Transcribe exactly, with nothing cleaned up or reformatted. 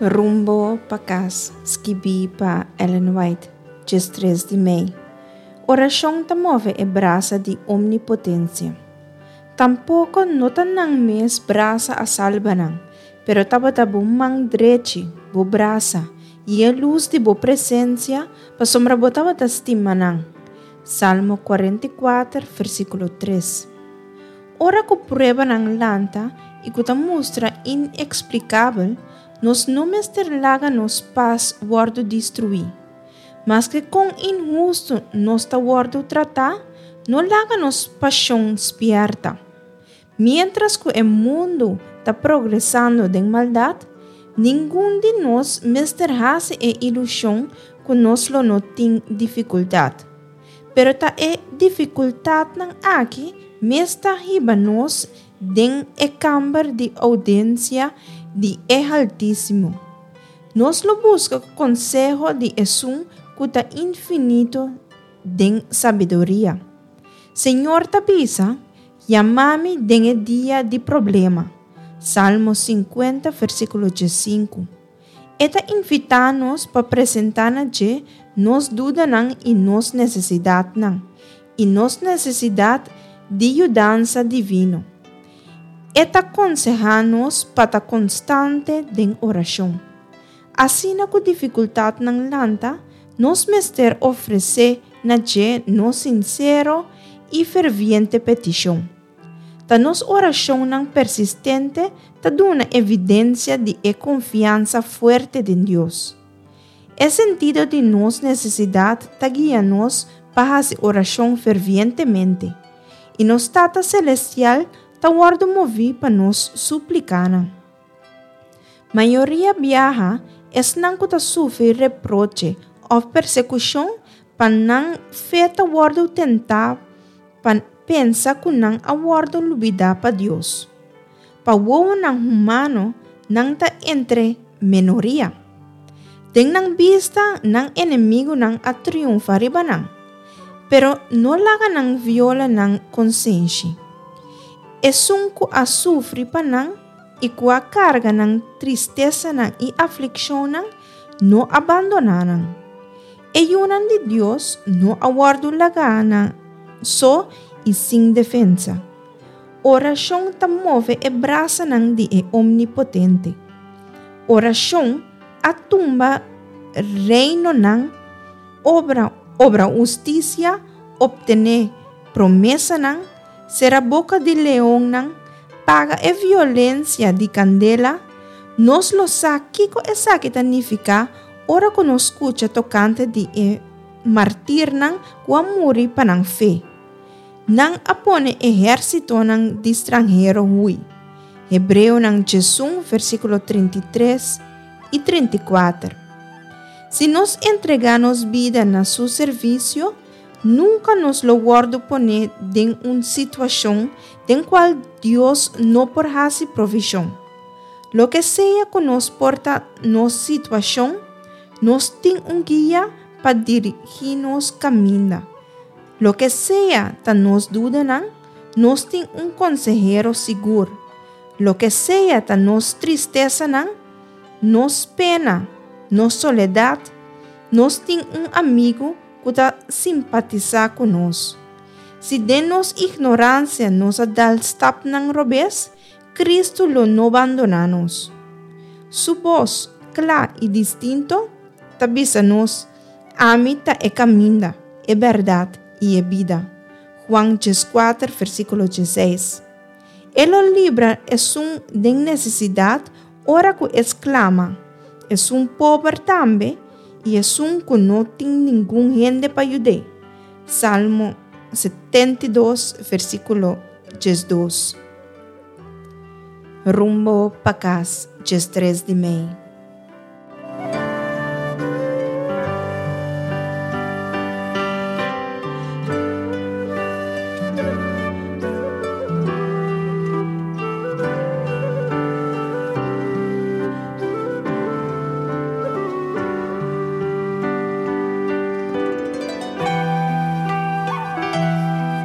Rumbo pa Kas, skibí pa Ellen White, diestres di mei. Orashon ta move e brasa di omnipotensia. Tampoko no ta nan mes brasa a salba nan, pero tabata bo man drechi, bo brasa, i e lus di bo presensia, pasobra bo tabata stima nan. Salmo kuarenta i kuater, versíkulo tres. Ora ku pruebanan lanta i ku ta mustra ineksplikabel, nos no mester laga nos pas wòrdu destruí. Maske kon inhustu nos ta wòrdu tratá, no laga nos pashon spièrta. Miéntras ku e mundu ta progresando den maldat, ningun di nos mester hasi e ilushon ku nos lo no tin difikultat. Pero ta e difikultatnan aki mes ta hiba nos den e kamber di oudiensia di e Haltísimo. Nos lo buska konseho di Esun ku ta infinito den sabiduria. Señor ta bisa, Yama mi den e dia di problema. Salmo sinkuenta versíkulo diesinku. E ta invitá nos pa presentá na dje nos dudanan i nos nesesidatnan, i nos nesesidat di yudansa divino. E ta konsehá nos pa ta konstante den orashon. Asina ku difikultatnan lanta, nos mester ofresé na dje nos sinsero i ferviente petishon. Ta nos orashonnan persistente ta duna evidensia di e konfiansa fuerte den Dios. E sentido di nos nesesidat ta guia nos pa hasi orashon fervientemente, i nos Tata Selestial ta wòrdu moví pa nos súplikanan. Mayoria biaha, esnan ku ta sufri reproche òf persekushon pa nan fe ta wòrdu tentá pa pensa ku nan a wòrdu lubidá pa Dios. Pa wowonan humano, nan ta entre minoria. Den nan bista, nan enemigunan a triunfá riba nan. Pero no laga nan viola nan konsenshi. Esun ku a sufri pa nan i ku a karga nan tristesanan i aflikshonnan no a bandoná nan. E yunan di Dios no a wòrdu lagá nan so i sin defensa. Orashon ta move e brasanan di e Omnipotente. Orashon a tumba reinonan, obra obra hustisia, optené promesanan, sera boka di leonnan, paga e violensia di kandela. Nos lo sa kiko esaki ta nifiká ora ku nos skucha tokante di e martirnan ku a muri pa nan fe. Nan a pone ehérsitonan di stranhero hui. Hebreonan diesun versíkulo trinta i tres i trinta i kuater. Si nos entregá nos bida na su servisio, nunka nos lo wòrdu poné den un situashon den kual Dios no por hasi provishon. Loke sea ku nos por ta nos situashon, nos tin un guia pa dirigí nos kaminda. Loke sea ta nos dudanan, nos tin un konsehero sigur. Loke sea ta nos tristesanan, nos pena, nos soledat, nos tin un amigu ku ta simpatisá ku nos. Si den nos ignoransia nos a dal stapnan robes, Kristu lo no bandoná nos. Su bos, kla i distinto, ta bisa nos, Ami ta e kaminda, e bèrdat i e bida. Juan dieskuater, versíkulo diesseis. E lo libra esun den nesesidat ora ku e sklama, esun pober tambe i esun ku no tin ningun hende pa yud'é. Salmo setenta i dos, versíkulo diesdos. Rumbo pa kas, diestres di mei.